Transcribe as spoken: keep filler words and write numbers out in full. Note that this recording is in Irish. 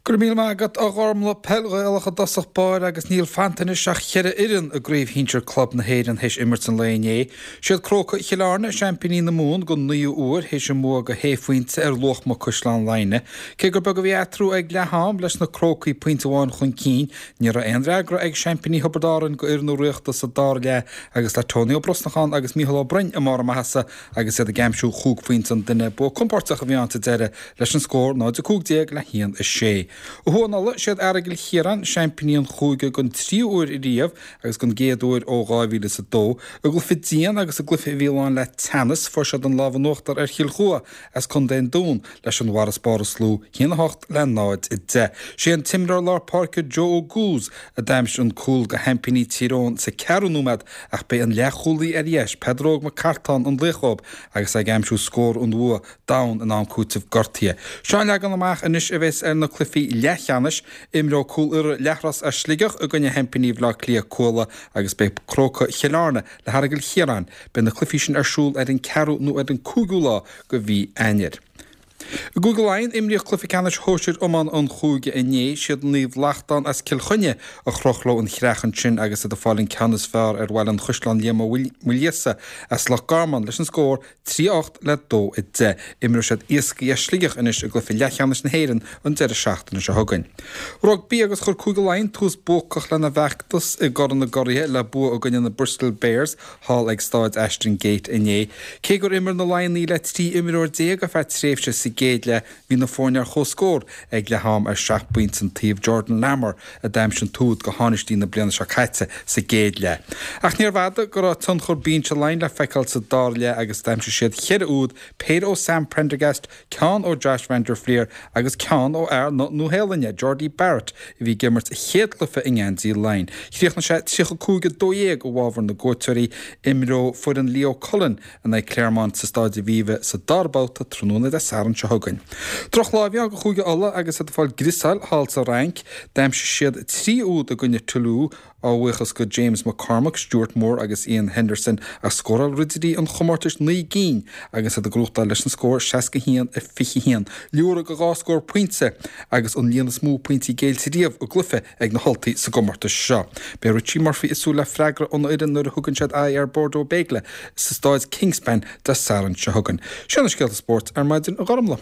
Go raibh míle maith agat a Ghormlaith. Peil Ghaelach i dtosach báire agus níl fanta anois ach cheithre fhoireann i gCraobh Shinsir Club na hÉireann théis imirt an lae inné. Siad Crócaigh Chill Airne seaimpíní na Mumhan don naoú huair théis a mbua de shé phointe ar Luachma Caisleán Laighnigh. Cé gur beag a bhí eatarthu ag leath am leis na Crócaigh pointe amháin chun cinn, ní raibh aon fhreagra ag seaimpíní Thiobraid Árann go fhoireann Uí Riachta sa dara leath agus le Tony Ó Brosnacháin agus Mícheál Ó Broin i mbarr a maitheasa agus iad ag aimsiú chúig phointe an duine. Bua compóirteach a bhí ann sa deireadh leis an scór náid a cúig déag le haon a sé. Ó thuaidh in Ulaidh, siad Aireagal Chiaráin seaimpíní an chúige don tríú huair riamh agus don gcéad uair ó dhá mhíle is a dó. I gcluiche dian agus i gcluiche a bhí lán le teannas, fuair siad an lámh in uachtar ar Chill Chua as Contae an Dúin leis an bhfarasbarr is lú, a haon a hocht le náid a deich. Sé an t-imreoir lár páirce Joe Oguz a d'aimsigh an cúl do sheaimpíní Tír Eoghain sa ceathrú nóiméad ach b'é an leathchúlaí ar dheis, Peadar Óg Mac Cartáin an laoch dóibh agus é ag aimsiú scór an bhua domhain in am cúitimh gortaithe. Seo an leagan amach anois a bheas ar na cluichí leathcheannais. Imreoidh Cúil Irra Leathros as Sligeach i gcoinne sheaimpíní Bhaile Átha Cliath Cuala agus beidh Crócaigh Chill Airne le hAireagal Chiaráin. Beidh na cluichí sin ar siúl ar an ceathrú nó ar an cúigiú lá de mhí Eanáir. I gCúige Laighean, imríodh cluiche ceannais shóisir iomána an chúige inné. Siad Naomh Lachtain as Cill Chainnigh a chroch leo an chreach ansin agus iad ag fáil an ceann is fearr ar Bhaile an Chaisleáin Liam Ó Maoilíosa as Loch Garman leis an scór trí a hocht le dó a deich. Imreoidh siad Iascaigh as Sligeach anois i gcluiche leathcheannais na hÉireann an deireadh seachtaine seo chugainn. Rugbaí agus chuir Cúige Laighean tús buacach lena bhfeachtas i gCorn na gCuraithe le bua i gcoinne na Bristol Bears thall ag Stáid Ashton Gate inné. Cé gur imir na Laighnigh le trí imreoir déag ar feadh tréimhse sa gcéad leath, bhí na foirne ar comhscór ag leath am ar seacht bpointe an taobh. Jordan Larmour a d'aimsigh an t-úd do thánaistí na bliana seo caite sa gcéad leath. Ach níorbh fhada go raibh tionchar binse Laighean le feiceáil sa dara leath agus d'aimsigh siad cheithre úd, péire ó Sam Prendergast, ceann ó Josh van der Flier agus ceann ó fhear na Nua-Shéalainne, Jordie Barrett, a bhí ag imirt a chéad chluiche i ngeansaí Laighean. Chríochnaigh sé tríocha cúig a dó dhéag i bhfabhar na gcuairteoirí. Imreoidh foireann Leo Cullen in aghaidh Clermont sa Stáid Aviva sa dara babhta tráthnóna Dé Sathairn seo chugainn. Drochlá a bhí ann do Chúige Uladh agus iad ag fáil griosáil thall sa Fhrainc. D'aimsigh siad trí úd i gcoinne Toulouse, á bhuíochas go James McCormack, Stuart Moore agus Iain Henderson ach scóráil ridirí an chomórtais naoi gcinn agus iad ag gnóthachtáil leis an scór seasca a haon a fiche a haon. Liúradh de dhá scór pointe agus an líon is mó pointí géillte riamh i gcluiche ag na hUltaigh sa gcomórtas seo. Beidh Richie Murphy ag súil le freagra óna fhoireann nuair a thugann siad aghaidh ar Bordeaux Bègles sa staid Kingspan Dé Sathairn seo chugainn. Seo na scéalta spóirt ar maidin, a Ghormlaith.